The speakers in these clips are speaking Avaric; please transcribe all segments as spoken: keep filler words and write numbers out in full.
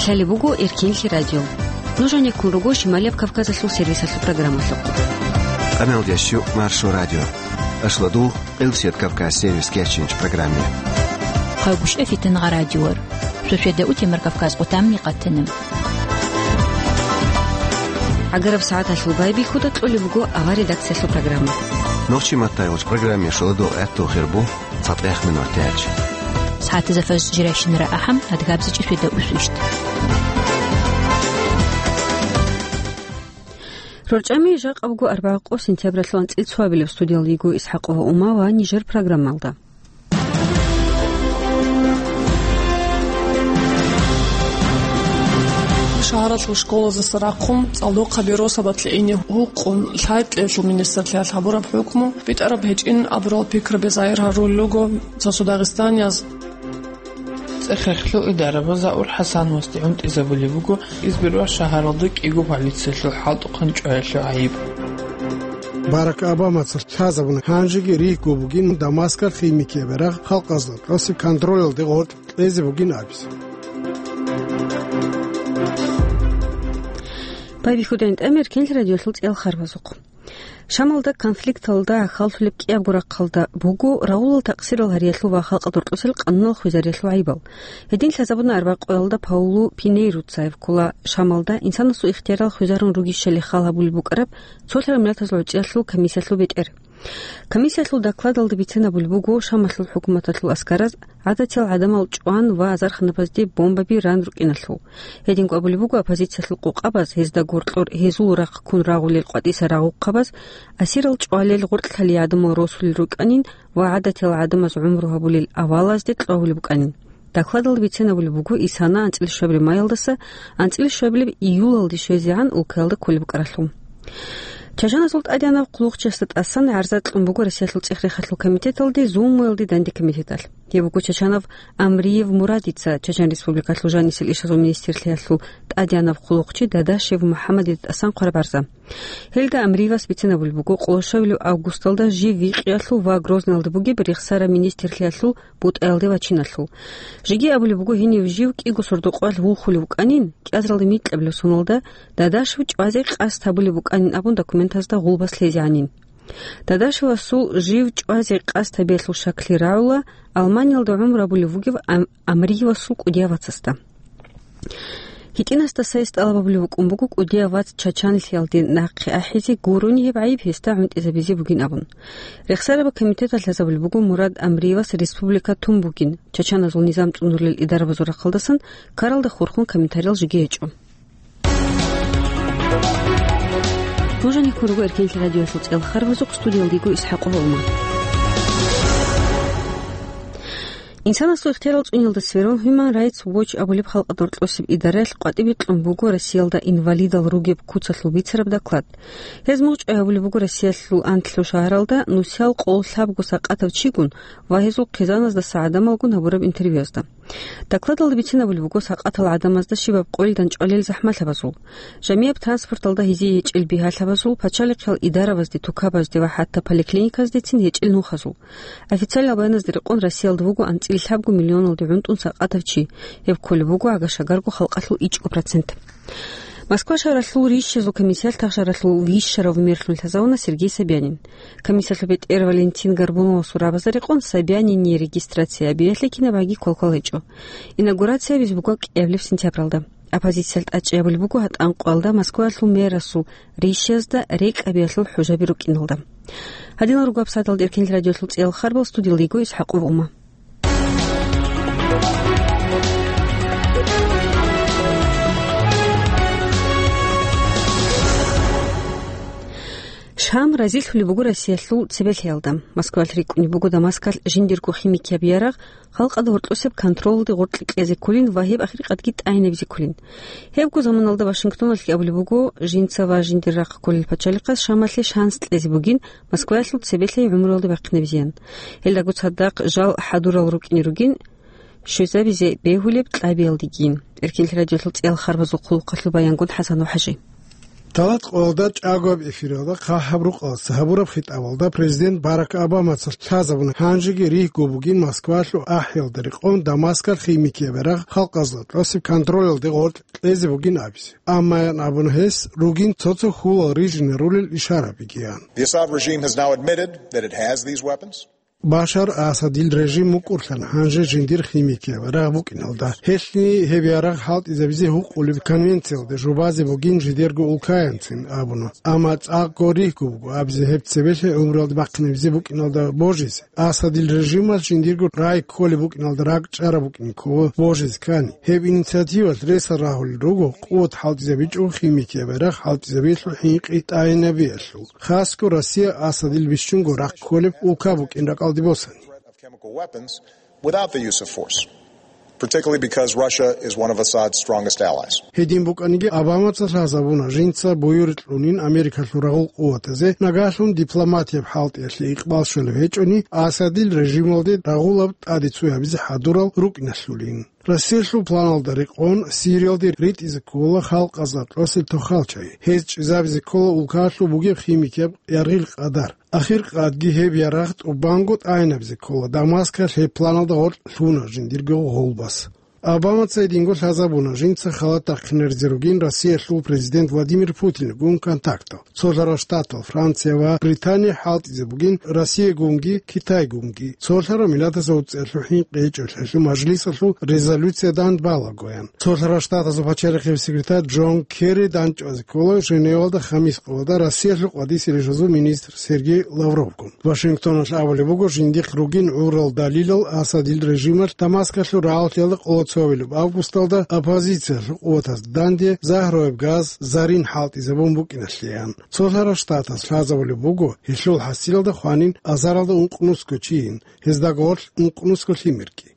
Гьале буго Эркенлъи радио. Нуж гьанеккун руго Шималияб Кавказалъул сервисалъул программалъухъ. Къаналдящу Маршо радио. Ашладул, Къилсият Кавказ сервис кечинч программе. Хъагушев Фитангъа радиор. Шошеда утемар Кавказ къутамни къатана. Агараб сагӀаталъул байбихьуда кьолеб буго авар редакциялъул программа. Нохчи маттай уч программе шоладул гӀатту хирбу. ЦатӀех минутач. СагӀатазда фажр жирайщинара ахӀам, адгабзичӀи светда усвищт. РорчӀами жакъа буго арбагъа къо сентябралъул анцӀил цоабилеб. Студиялда йиго ИсхӀакъова Ума ва нижер программалда. Шагьаралъул школазаса рахъун цӀалдохъаби росабалъе ине гьукъун, лъай-кьеялъул министрлъиялъ гьабураб хӀукму битӀараб гьечӀин абурал пикраби загьир гьарулел руго цо-цо дагъистанияз. ЦӀехехлъу идарабаз Заур ХӀасановасде гӀунтӀизабулеб буго Избербаш шагьаралда кӀиго полициялъул хӀалтӀухъан чӀваялъул гӀайиб. Барак Обамаца лъазабуна, гьанжеги рихьго бугин Дамаскалъ химикияб ярагъ халкъазда тӀаса контролалде гъоркь кьезе бугин абизе. Байбихьудайн тӀамер кенлъи радиолъул цӀел харбазухъ. Шамалда конфликталда гӀахьаллъулеб кӀиябго рахъалда буго рагъулал такъсирал гьариялъул ва халкъалда рокьусел къануналъ хвезариялъул гӀайибал. Гьедин лъазабуна арбакъоялда Паулу Пинейруца гьеб ккола Шамалда инсанасул ихтиярал хвезарун ругищали хал гьабулеб букӀараб цолъараб миллатазул гӀучӀиялъул комиссиялъул бетӀер. Комиссиялъул докладалда бицинабулеб буго Шамалъул хӀукуматалъул аскараз гӀадатиял гӀадамал чӀван ва азарханабазде бомбаби ран рукӀиналъул. Гьединго абулеб буго оппозициялъул къокъабаз гьезда гъоркьор гьезул рахъ ккун рагъулел къватӀиса рагъухъабаз, асирал чӀвалел гъоркьлъалие гӀадамал росулел рукӀанин ва гӀадатиял гӀадамаз гӀумру гьабулел авалазде кьвагьулеб букӀанин. Докладалда бицинабулеб буго исана анцӀила шабри майялдаса анцӀила шабилеб июлалде щвезегӀан улкаялда кколеб букӀаралъул. Чачаназул тӀадегӀанав хъулухъчиясда тӀасан гӀарза кьун буго Россиялъул цӀех-рехалъул комитеталде Зуммуялде данде комитеталъ. Гьеб буго Чачанов Амриев Мурадица, Чачан Республикалъул жанисел ишазул министрлъиялъул тӀадегӀанав хъулухъчи Дадашев МухӀаммадида тӀасан хъвараб гӀарза. Гьелда Амриевас бицинабулеб буго къолошавилев августалда жив Вихъиялъул ва Грозныялда бугеб рехсараб министрлъиялъул бутӀаялде вачиналъул. Жеги абулеб буго гьенив жив кӀиго сордо-къоялъ вулхулев вукӀанин, кӀиазаралда микьабилеб соналда Дадашев чӀвазе къасд гьабулеб букӀанин абун документазда гъулбас лъезегӀанин. Дадашевасул жив чӀвазе къасд гьабиялъул щаклъи рагӀула Алманиялда гӀумру гьабулев вугев Ам-, Амриевасул кӀудияв вацасда. ГьитӀинасдаса гьес тӀалаб гьабулеб букӀун буго кӀудияв вац Чачанлъиялде нахъе ахӀизе гурони гьеб гӀайиб гьесда гӀунтӀизабизе бугин абун. Рехсараб комитеталъ лъазабулеб буго Мурад Амриевас республика тун бугин, чачаназул низам цӀунурел идарабазул рахъалдасан ккаралда хурхун комментариял жеги гьечӀо. Нуж гьанеккун руго Эркенлъи радиоялъул цӀел харбазухъ, студиялда йиго ИсхӀакъова Ума. Инсанасул ихтиярал цӀуниялда сверун Human Rights Watch абулеб халкъалда рокьосеб идараялъ къватӀибе кьун буго Россиялда инвалидал ругеб куцалъул бицараб доклад. Гьез мугъчӀвай гьабулеб буго Россиялъул анлъго шагьаралда нусиял къоло лъабго сакъатав чигун ва гьезул хъизаназдаса гӀадамалгун гьабураб интервьюязда. Докладалда бицинабулеб буго сакъатал гӀадамазда щибаб къойилдан чӀвалел захӀмалъабазул, жамияб транспорталда гьезие гьечӀел бигьалъабазул, пачалихъиял идаравазде, тукабазде ва хӀатта поликлиниказдецин гьечӀел нухазул. Официальал баяназда рекъон Россиялда вуго анцӀила лъабго миллионалде гӀунтӀун сакъатав чи, гьеб кколеб буго гӀага-шагарго халкъалъул ичӀго процент. Москва шагьаралъул рищазул комиссиялъ та шагьаралъул вищарав мерлъун лъазавуна Сергей Собянин. Комиссиялъул бетӀер Валентин Горбуновасул рабазда рекъон Собянине регистрация гьабиялъе кинабгӀаги квалквал гьечӀо. Инаугурация гьабизе буго кӀиабилеб сентябралда. Оппозициялъ тӀадчӀей гьабулеб буго гьатӀан къоялда Москваялъул мэрасул рищазда рекӀкӀ гьабиялъул хӀужаби рукӀиналда. Гьадинал руго гьабсагӀаталда Эркенлъи радиоялъул цӀел харбал, студиялда йиго ИсхӀакъова Ума. Шам разилъулеб буго Россиялъул цебелъиялда. Москвалъ рикӀкӀунеб буго Дамаскалъ жиндирго химикияб ярагъ халкъалда гьоркьосеб контролалде гъоркье кьезе кколин ва гьеб ахиркъадги тӀагӀинабизе кколин. Гьебго заманалда Вашингтоналъги абулеб буго, жинца ва жиндир рахъ кколел пачалихъас Шамалъе шанс кьезе бугин Москваялъул цебелъей гӀумруялде бахъинабизеян. Гьелдаго цадахъ жал хӀадурал рукӀине ругин, щвезабизе бегьулеб кьабиялдегин. Эркенлъи радиоялъул цӀел харбазул хъулухъалъул баянгун ХӀасан ва ХӀажи. Талат къоялда чӀагояб эфиралда хъахӀаб рукъалаца гьабураб хитӀабалда президент Барак Обамаца лъазабуна гьанжеги ригьго бугин Москвалъул ахӀиялда рекъон Дамаскалъ химикияб ярагъ халкъазда тӀасеб контролалде гъоркь кьезе бугин абизе. Амма ян абуна гьес, ругин цо-цо хьулал рижинарулел ишарабигиян. The Assad regime has now admitted that it has these weapons. Башар Асадил режим мукӀурлъана гьанже жиндир химикияб ярагъ букӀиналда. Гьелъни гьеб ярагъ хӀалтӀизабизе гьукъулеб конвенциялде жубазе бугин жидерго улкаянцин абуна. Амма цӀакъго ригьго буго абизе гьеб цебелъи гӀумруялде бахъинабизе букӀиналда божизе. Асадил режималъ жиндирго рай кколеб букӀиналда ракӀчӀараб букӀин ккола божизе ккани. Гьеб инициативалъ ресал рагьулел руго къуват хӀалтӀизабичӀого химикияб ярагъ хӀалтӀизабиялъул хӀинкъи тӀайинабиялъул. Хасго Россия Асадил бищунго рахъ кколеб улка букӀин ракӀалде босани. Of chemical weapons without the use of force, particularly because Russia is one of Assad's strongest allies. Гьедин букӀаниги, Обамаца лъазабуна жинца буюрикь кьунин Америкалъул рагъул къуватазе, нагагьлъун дипломатияб хӀалтӀиялъе икъбал щолеб гьечӀони, Асадил режималде рагъулаб тӀаде цоябизе хӀадурал рукӀиналъулин. Россиялъул планалда рекъон Сириялде ритӀизе ккола халкъазда тӀасел тохалчай. Гьез чӀезабизе ккола улкаялъул бугеб химикияб яргъил къадар. Ахир къадги гьеб ярагъ тӀубанго тӀайинабизе ккола. Дамаскалъ гьеб планалда гъоркь лъуна жиндирго гъолбас. Обамаца гьединго лъазабуна жинца халат рахъинаризе ругин Россиялъул президент Владимир Путинигун контактал. Цолъарал Штатал, Франция ва Британия хӀалтӀизе бугин Россиягунги Китайгунги. Цолъарал Миллатазул ГӀуцӀиялъул хӀинкъи гьечӀолъиялъул мажлисалъул резолюция дандбалагоян. Цолъарал Штатазул пачалихъе секретарь Джон Керри дандчӀвазе ккола Женевалда хамис къоялда Россиялъул къватӀисе рижазул министр Сергей Лавровгун. Вашингтоналъ абулеб буго жиндихъ ругин гӀурал далилал Асадил режималъ Дамаскалъул рагӀаллъиялда къоло цо гьабилеб августалда оппозициялъул къуватазда данде загьруяб газ, зарин хӀалтӀизабун букӀиналъеян. Цолъарал Штатас лъазабулеб буго гьелъул хӀасилалда хванин азаралда ункънусго чийин, гьезда гъорлъ ункънусго лъимерги.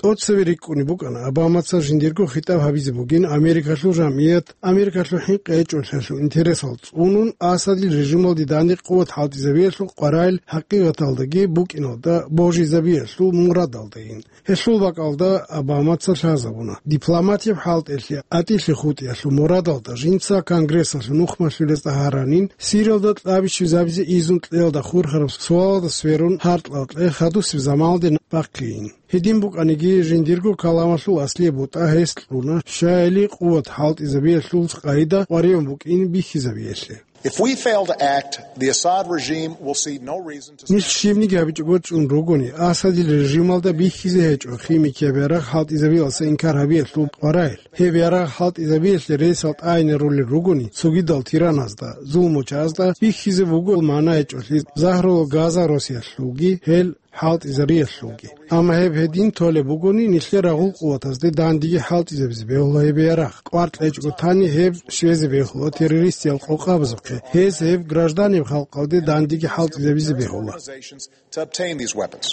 ТӀоцеве рикӀкӀунеб букӀана Обамаца жиндирго хитӀаб гьабизе бугин Америкалъул жамгӀият, Америкалъул хӀинкъи гьечӀолъиялъул интересал цӀунун, Асадил режималде данде къуват хӀалтӀизабиялъул къваригӀел хӀакъикъаталдаги букӀиналда божизабиялъул мурадалдайин. Гьелъул бакӀалда Обамаца лъазабуна дипломатияб хӀалтӀиялъе атӀилъи хутӀиялъул мурадалда жинца Конгрессалъул нухмалъулезда гьаранин, Сириялда кьабиччабизабизе изун кьеялда хурхараб суалалда сверун гьаркьал кье хадусеб заманалде бахъейин. Гьедин букӀаниги, жиндирго каламалъул аслияб бутӀа гьес кьуна, щайили къуват хӀалтӀизабиялъул къайда къваригӀун букӀин бихьизабиялъе. If we fail to act, the Assad regime will see no reason to Нилъ щибниги гьабичӀого чӀун ругони, Асадил режималда бихьизе гьечӀо химикияб ярагъ хӀалтӀизабиялъа инкар гьабиялъул къваригӀел. Гьеб ярагъ хӀалтӀизабиялъе ресал тӀайинарулел ругони, цогидал тираназда, зулмучазда бихьизе буго мана гьечӀолъи загьрул газа росиялъулги, гьел хӀалтӀизариялъулги. Амма гьеб гьедин толеб бугони, нилъер рагъул къуватазде дандеги хӀалтӀизабизе бегьула гьеб ярагъ. КӀвар кьечӀого тани гьеб щвезе бегьула террористиял къокъабазухъе. Гьез гьеб гражданиял халкъалде дандеги хӀалтӀизабизе бегьула. To obtain these weapons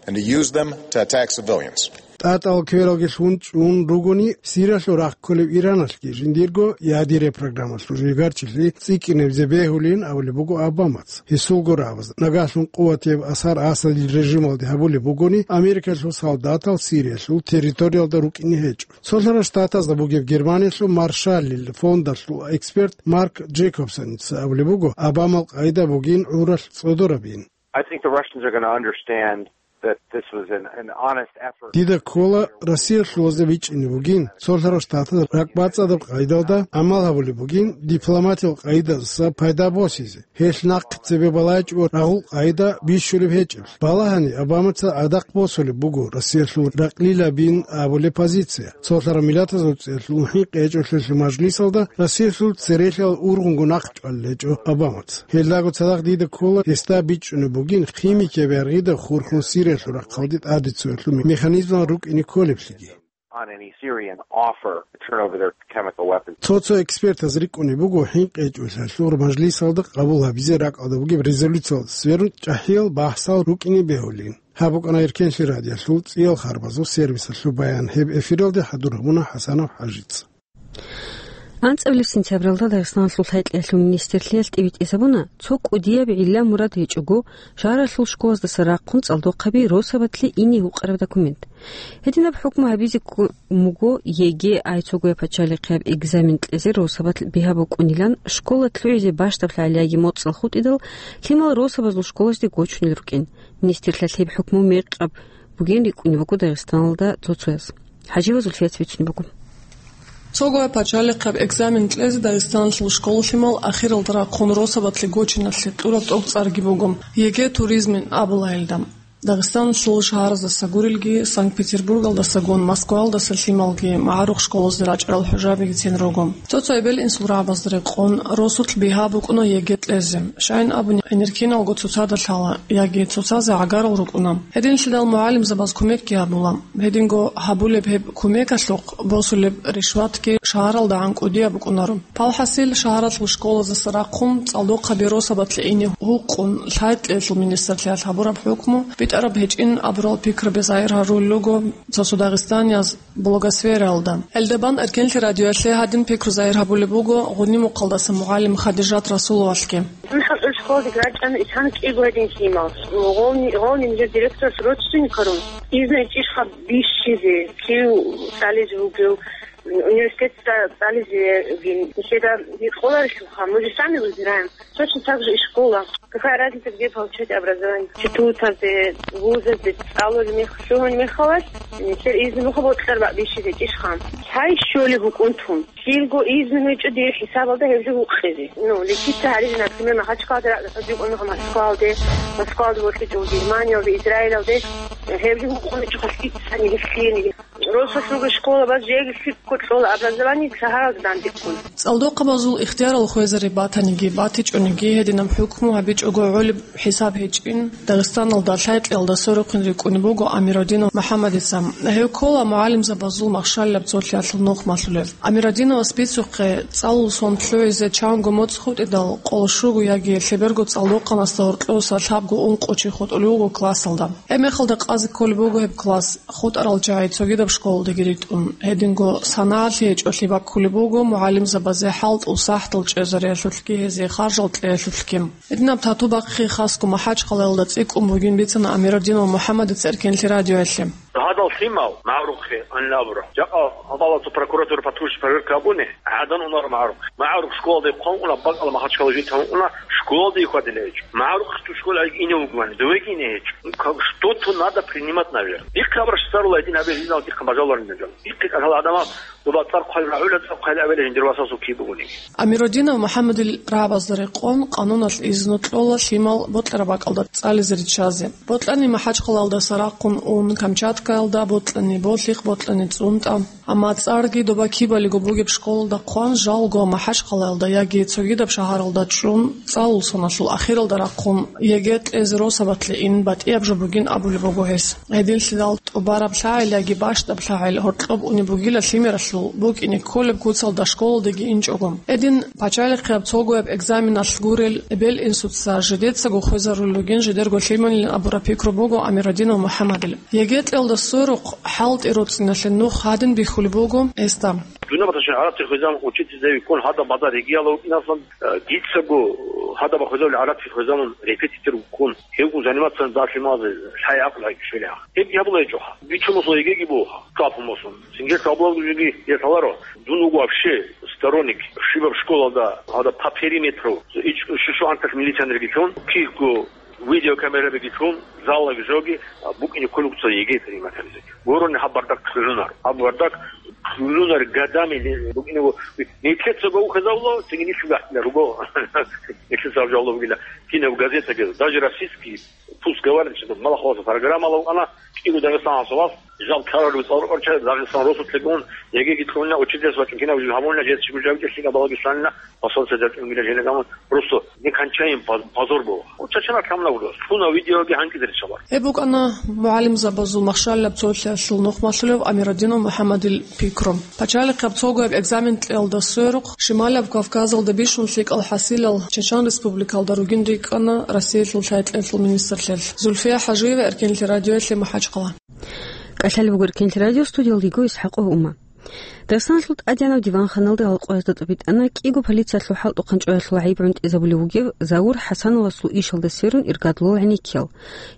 and to use them to attack civilians. ТӀатӀал квералги лъун чӀун ругони, Сириялъул рахъ кколеб Ираналъги жиндирго ядерия программалъул жигарчилъи цӀикӀкӀинабизе бегьулин абулеб буго Обамаца. Гьесулго рагӀабаз, нагагьлъун къуватияб асар Асадил режималде гьабулеб бугони, Америкалъул солдатал Сириялъул территориялда рукӀине гьечӀо. Цолъарал Штатазда бугеб Германиялъул Маршаллил фондалъул эксперт Марк Джейкобсоница абулеб буго, Обамал къайда бугин гӀуралъ цӀодорабин. I think the Russians are gonna understand that this was an, an honest effort. Дида ккола, Россиялъулазда бичӀчӀине бугин, цолъарал Штатаз ракӀбацӀцӀадаб къайдалда гӀамал гьабулеб бугин, дипломатиял къайдаса пайда босизе. Гьелъ нахъе цебе балайчӀого рагъул къайда бищулеб гьечӀеб. Балагьани, Обамаца гӀадахъ босулеб буго Россиялъул ракълилабин абулеб позиция. Цолъарал Миллатазул ГӀуцӀиялъул хӀинкъи гьечӀолъиялъул мажлисалда Россиялъул церехиялъ ургъунго нахъ чӀвалел гьечӀо Обамаца. Гьелдаго цадахъ дида ккола гьесда бичӀчӀунеб бугин химикияб яргъида хурхун Сириялъул рахъалде тӀаде цоялъул механизмал рукӀине кколеблъиги. On any Syrian offer to turn over their chemical weapons. Цо-цо экспертаз рикӀкӀунеб буго хӀинкъи гьечӀолъиялъул мажлисалда къабул гьабизе ракӀалда бугеб резолюциялда сверун чӀахӀиял бахӀсал рукӀине бегьулин. Гьаб букӀана Эркенлъи радиоялъул цӀиял харбазул сервисалъул баян. Гьеб эфиралде хӀадур гьабуна ХӀасанов ХӀажица. АнцӀабилеб сентябралда Дагъистаналъул хӀетӀлъиялъул министрлъиялъ тӀибитӀизабуна цо кӀудияб гӀилла-мурад гьечӀого шагьаралъул школаздаса рахъун цӀалдохъаби росабалъе ине гьукъараб документ. Гьединаб хӀукму гьабизе ккун буго ЕГЭ, ай цогояб пачалихъияб экзамен кьезе росабалъ бигьа букӀунилан, школа лъугӀизе бащдаб лъагӀел яги моцӀал хутӀидал лъимал росабазул школазде гочунел рукӀин. Министрлъиялъ гьеб хӀукму мекъаб бугин рикӀкӀунеб буго Дагъистаналда цо-цояз. ХӀажиева Зульфият бицунеб буго. Цогояб пачалихъияб экзамен кьезе Дагъистаналъул школалъимал ахиралда рахъун росабалъе гочиналъе кьураб тӀоцӀарги буго, ЕГЭ туризмин абула гьелда. Дагъистаналъул шагьараздаса гурелги, Санкт-Петербургалдасагун Москваялдаса лъималги магӀарухъ школазде рачӀарал хӀужабигицин руго. Цо-цо эбел-инсул рагӀабазда рекъон росулъ бигьа букӀуна ЕГЭ кьезе. Щайин абуни, гӀенеккиналго цоцазда лъала яги цоцазе гӀагарал рукӀуна. Гьединлъидал мугӀалимзабаз кумекги гьабула. Гьединго гьабулеб гьеб кумекалъухъ босулеб ришватги шагьаралдагӀан кӀудияб букӀунаро. Палхасил шагьаралъул школаздаса рахъун цӀалдохъаби росабалъе ине гьукъун, лъай-кьеялъул министрлъиялъ гьабураб хӀукму битӀараб гьечӀин абурал пикруби загьир гьарулел руго цо-цо дагъистанияз блогосфераялда. Гьелда бан Эркенлъи радиоялъе гьадин пикру загьир гьабулеб буго Гъунибухъалдаса мугӀалим Хадижат Расуловалъги. Дун хӀалтӀул школалде рачӀана ишан кӀиго гьедин лъимал. Гъовни, гъовни нижер директорас родственникарун. Изну ичӀищха бищизе, кив цӀализе вугев, университетда цӀализе вугин. Нижеда гьикъоларелъулха, мы же сами выбираем. Точно так же и школа. Какая разница, где получать образование? Институтазде, вузазде цӀалулеб мех-, лъугьун мехалас, нилъер изну муха бокьараб бищизе ичӀищха. Цай щолеб букӀун тун. Килго изну гьечӀо дир хӀисабалда гьеб жо гьукъизе. Ну, лечиться гьаризе, например, Махачкалада ра-, рахъадикъун Москвалде, Москвалда вокьичӀо Германиялде, Израилалде, гьеб жо гьукъун гьечӀо хасти цани гьелъиеги. Росулъулги школабаз жеги лъикӀго кьола образование шагьаралда дандеккун. ЦӀалдохъабазул ихтиярал хвезари батаниги, батичӀониги гьединаб хӀукму гьабичӀого гӀолеб хӀисаб гьечӀин, Дагъистаналда лъай-кьеялда сверухъин рикӀкӀунеб буго Амиродинов МухӀаммадица. Гьев ккола мугӀалимзабазул махщалилаб цолъиялъул нухмалъулев. Амиродиновас бицухъе, цӀалул сон лъугӀизе чанго моцӀ хутӀидал, къоло щуго яги лъеберго цӀалдохъанасда гьоркьоса лъабго-ункъо чи хутӀулев вуго классалда. Гьеб мехалда къазе кколеб буго гьеб класс, хутӀарал чагӀи цогидаб школалдеги ритӀун. Гьединго санагӀалъи гьечӀолъи баккулеб буго мугӀалимзабазе хӀалтӀул сахӀтал чӀезариялъулъги гьезие харжал кьеялъулъги. Гьединаб тату бахъи хасго МахӀачхъалаялда цӀикӀкӀун бугин бицана Амиродинов МухӀаммадица Эркенлъи радиоялъе. Гьадал лъимал магӀарухъе анлабура. Жакъа гьабалацо прокуратура патрульщик проверка гьабуни, гӀадан унар магӀарухъ. МагӀарухъ школалде хъван уна, бакӀала Махачкала житан уна, школалде хьвадила гьечӀо. МагӀарухъ ту школа ине вугвани, довеги ине гьечӀо. Ну, как, что-то надо принимать, наверное. Дихъе абраш царула гьедин гьабе жинал дихъе бажаларин жан. Дихъе кӀалъала гӀадамал, доба цӀар хъвай рагӀула, цӀар хъвай авела жиндир васасул киб бугони. Амиродинов МухӀаммадил рагӀабазда рекъон, къануналъ изну кьола лъимал бокьараб бакӀалда цӀализе риччазе. Бокьани МахӀачхъалаялдаса рахъун ун Камчаткаялда, бокьани Болъихъ, бокьани ЦӀунтӀа. Амма цӀарги доба кибалиго бугеб школалда хъван, жалго МахӀачхъалаялда яги цогидаб шагьаралда чӀун, цӀалул соналъул ахиралда рахъун ЕГЭ кьезе росабалъе ин батӀияб жо бугин абулеб буго гьес. Гьединлъидал тӀубараб лъагӀел яги бащдаб лъагӀел гьоркьоб унеб бугила лъимералъул, букӀине кколеб куцалда школалдеги инчӀого. Гьедин пачалихъияб цогояб экзаменалъ гурел эбел-инсуца жидецаго хвезарулел ругин жидерго лъималилан абураб пикру буго Амиродинов МухӀаммадил. ЕГЭ кьелда сверухъ хӀалтӀи роцӀиналъе нух гьадин бихьулеб буго гьесда. Дунабаташин гӀарабти хвезан учительзави ккун гьадаб базар ригияла вукӀинаслан, э, дицаго гьадаб хвезавли гӀарабти хвезамун репетитор вуккун. Гьев заниматься дагьлъи мазе лъай гӀакълу гьайкӀ швелигьа. Гьеб гьабула гьечӀоха. Бичун мусул ЕГЭги бугьа. Капун мусун. Сингер кабулалгуги гьеб лъаларо. Дун вуго вообще сторонник. Щибаб школалда, гьада по периметру. Ич-, щу-, щугӀанталъ милиционерги чун, кихго видеокамерабиги чун, залаги жоги, а, букӀине кколукца ЕГЭ принимателизе. Гурони гьаб бардак кьулунар. Гьаб бардак кьулунар гадами не-, букӀине ву-, нилъеца гов хезавло, цинги нилъ гахӀна руго. Нилъеца гьаб жавло бугила. Кинаб газетаги, даже российский, пусть говорит, что малахваса программа лавкъана, кӀиго Дагъистаналъ вас, жал каралъув цӀалрукъарча, Дагъистан росулъегун, ЕГЭги кьуна, учительс вачӀун кинаб жо гьабуна, жез чи гужаги кӀелъига балагишланна, посольство дачӀунгила желагамун, просто некончаем поз-, позор был. Чачана камна вулос, лъуна видеоги гьанкӀизе риччалар. Гьеб букӀана мугӀалимзабазул махщалилаб цолъиялъул нухмалъулев Амиродинов МухӀаммадил пикру. Пачалихъаб цогояб экзамен кьелда сверухъ, Шималаб Кавказалда бищун лъикӀал хӀасилал Чечен Республикалда ругин рикӀкӀана Россиялъул лъай-кьеялъул министрлъиялъ. Зульфия ХӀажиева, Эркенлъи радиоялъе, МахӀачхъала. КӀалъалеб буго Эркенлъи радио, студиялда йиго ИсхӀакъов Ума. Дагъистаналъул тӀадегӀанав диванханалда гьалкъуязда тӀубитӀана кӀиго полициялъул хӀалтӀухъан чӀваялъул гӀайиб гӀунтӀизабулев вугев Заур ХӀасановасул ишалда сверун иргадлъулел гӀенеккиял.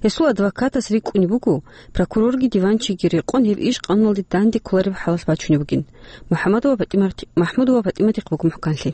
Гьесул адвокатас рикӀкӀунеб буго, прокурорги диванчиги рекъон гьеб иш къануналде данде кколареб хӀалалъ бачунеб бугин. МухӀаммадова ПатӀимат-, МахӀмудова ПатӀиматихъ буго мухӀканлъи.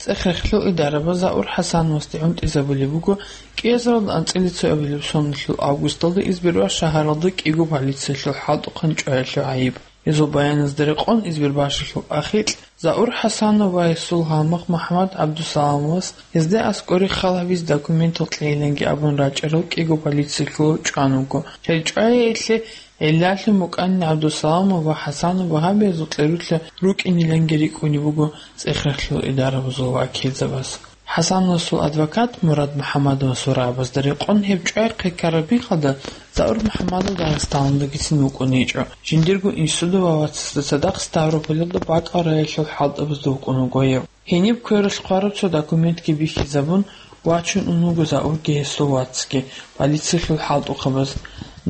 ЦӀех-рехлъул идарабаз Заур ХӀасановасде гӀунтӀизабулеб буго кӀиазаралда анцӀила цоабилеб соналъул августалда Избербаш шагьаралда кӀиго полициялъул хӀалтӀухъан чӀваялъул гӀайиб. Гьезул баяназда рекъон Избербашалъул ахикь Заур ХӀасанов ва гьесул гьалмагъ МухӀаммад ГӀабдусаламовас гьезда аскӀоре хал гьабизе документал кьейиланги абун рачӀарал кӀиго полициялъул чӀван вуго. Гьел чӀваялъе гӀиллалъун букӀанин ГӀабдусаламов ва ХӀасанов ва гьаб гьезул кьерулъа рукӀиниланги рикӀкӀунеб буго цӀех-рехлъул идарабазул вакилзабаз. ХӀасановасул адвокат Мурад МухӀаммадовасул рагӀабазда рекъон гьеб чӀвай хъекараб мехалда Заур МухӀаммадов Дагъистаналдагицин вукӀун гьечӀо. Жиндирго институталъул вацасда цадахъ Ставрополалда бакӀал районалъул хӀалтӀабазда вукӀун вуго гьев. Гьениб квералъ хъвараб цо документги бихьизабун, вачун ун вуго Заурги гьесул вацги полициялъул хӀалтӀухъабаз.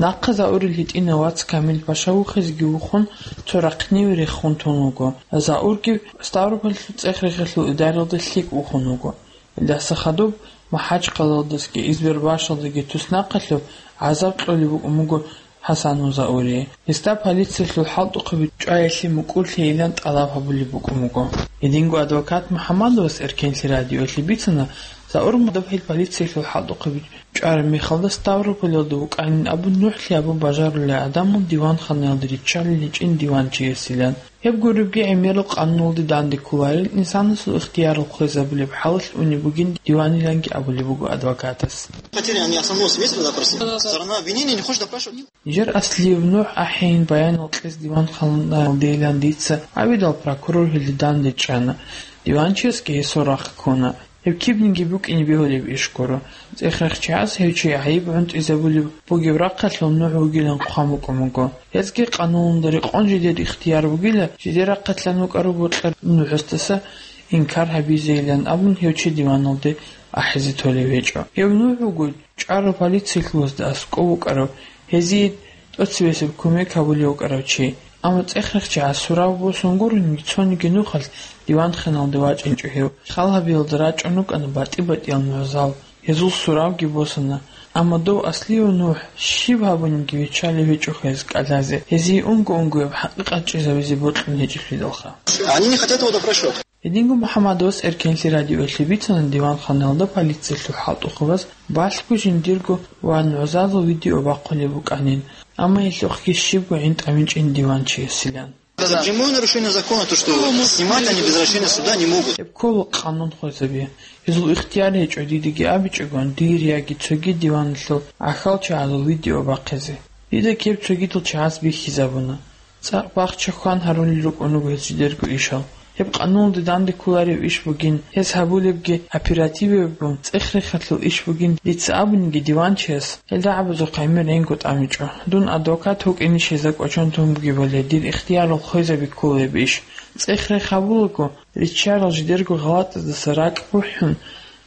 Нахъа Заурил гьитӀинав вац Камил-паша вухизеги вухун, цо рахъниве рехун тун вуго. Заурги Ставрополалъул цӀех-рехлъул идаралда лъикӀ вухун вуго. Гьелдаса хадуб МахӀачхъалаялдасаги Избербашалдаги туснахъалъур гӀазаб кьолеб букӀун буго ХӀасанов Заурие. Гьесда полициялъул хӀалтӀухъаби чӀваялъе мукӀурлъейилан тӀалаб гьабулеб букӀун буго. Гьединго адвокат МухӀаммадовас Эркенлъи радиоялъе бицана, Заур Мурад гьел полициялъул хӀалтӀухъаби чӀвараб мехалда Ставрополалда вукӀанин абун нухӀлъи абун бажарулел гӀадамал диванханаялда риччалел гьечӀин диванчиясилан. Гьеб гуребги гӀемерал къануналде данде кколарел, инсанасул ихтиярал хвезабулеб хӀалалъ унеб бугин диваниланги абулеб буго адвокатас. Хотели они основного свидетеля допросить. Сторона обвинения не хочет допрашивать. Нижер аслияб нухӀ ахӀейин баянал кьез диванханаялдейилан дица абидал прокурор гьелде данде чӀана. Диванчиясги гьесул рахъ ккуна. Гьеб кибниги букӀине бегьулеб иш гуро. ЦӀех-рехчияс гьев чи гӀайиб гӀунтӀизабулеб бугеб рахъалъул нухӀ вугилан хъван букӀун буго. Гьезги къануналда рекъон жидер ихтияр бугила, жидер рахъалъан вукӀарав бокьарав нухӀасдаса инкар гьабизейилан абун гьев чи диваналде ахӀизе толев гьечӀо. Гьев нухӀ вуго чӀварав полициялъулазда аскӀов вукӀарав, гьезие тӀоцебесеб кумек гьабулев вукӀарав чи. Амма цӀех-рехчияс сурав босун гурони, цониги нухалъ диванханалде вачӀинчӀо гьев. Хал гьабиялда рачӀун рукӀана батӀи-батӀиял нугӀзал. Гьезул суравги босана. Амма дов аслияв нухӀ щиб гьабуниги виччалев гьечӀо гьез кӀалъазе, гьезие унго-унгояб хӀакъикъат чӀезабизе бокьун гьечӀелъидалха. Они не хотят его допрашивать. Гьединго МухӀаммадовас Эркенлъи радиоялъе бицана диванханаялда полициялъул хӀалтӀухъабаз балъго жиндирго ва нугӀзазул видео бахъулеб букӀанин, амма гьелъухъги щибго гӀин тӀамичӀин диванчиясилан. Это прямое нарушение закона, то, что снимать они без разрешения суда не могут. Гьеб ккола къанун хвезаби. Гьезул ихтияр гьечӀо дидаги абичӀогон, дир яги цоги диваналъул гӀахьалчагӀазул видео бахъизе. Дида ккеб цогидал чагӀаз бихьизабуна. ЦӀакъ бахча хьван гьарулел рукӀун руго гьез жидерго ишал. Гьеб къануналде данде кколареб иш бугин, гьез гьабулебги оперативе бугун, цӀех-рехалъул иш бугин дица абуниги диванчияс, гьел рагӀабазухъ гӀемер гӀинго тӀамичӀо. Дун адвокат вукӀинищ гьезда кӀочон тун бугебали, дир ихтиярал хвезаби кколеб иш. ЦӀех-рех гьабулаго, риччарал жидерго гъалатӀаздаса ракӀ бухӀун,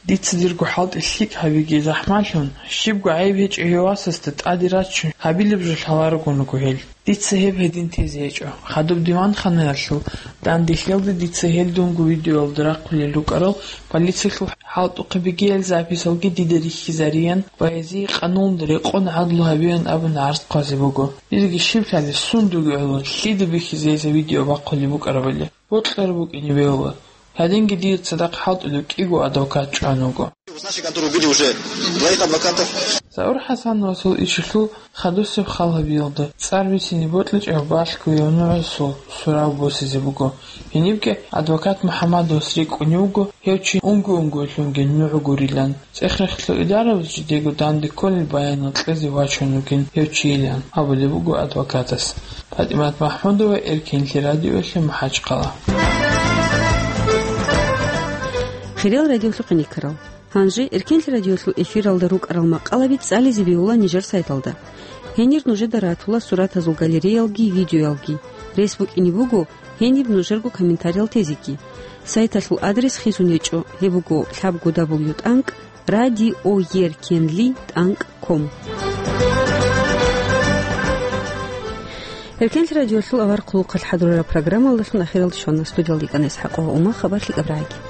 дица дирго хӀалтӀи лъикӀ гьабиги захӀмалъун, щибго гӀайиб гьечӀев васасда тӀаде раччун гьабилеб жо лъаларогун руго гьел. Дица гьеб гьедин тезе гьечӀо. Хадуб диванханаялъул дандехиялда дица гьел дунго видеоялда рахъулел рукӀарал полициялъул хӀалтӀухъе бегиял записалги дида рихьизариян ва гьезие къануналда рекъон гӀадлу гьабеян абун гӀарз хъвазе буго. Дидеги щиб лъалеб, сундуги гӀоло, лъида бихьизе гьезда видео бахъулеб букӀарабали. Бокьараб букӀине бегьула. Гьадинги дир цадахъ хӀалтӀулев кӀиго адвокат чӀван вуго. С нашей конторы убили уже двоих адвокатов. Заур ХӀасановасул ишалъул хадусеб хал гьабиялда цӀар бицине бокьичӀеб балъго гьев нугӀзазул сурав босизе буго. Гьенибги адвокат МухӀаммадовас рикӀкӀунев вуго гьев чи унго-унгоялъунги нугӀ гурилан. ЦӀех-рехлъул идарабаз жидего данде кколел баянал кьезе вачун вугин гьев чийилан абулеб буго адвокатас. ПатӀимат МахӀмудова, Эркенлъи радиоялъе, МахӀачхъала. Хириял радиолъухъ гӀенеккарал. Гьанже Эркенлъи радиолъул эфиралда рукӀарал макъалаби цӀализе бегьула нижер сайталда. Гьенир нужеда ратула суратазул галереялги видеоялги. Рес букӀине буго гьениб нужерго комментариял тезеги. Сайталъул адрес хисун гьечӀо, гьеб буго лъабго дабл ю тӀанкӀ радиоеркенли тӀанкӀ ком. Эркенлъи радиолъул авар хъулухъалъ хӀадурараб программалдалъун ахиралде щвана. Студиялда йикӀана ИсхӀакъ Умар. Хабар лъикӀаб рагӀиги.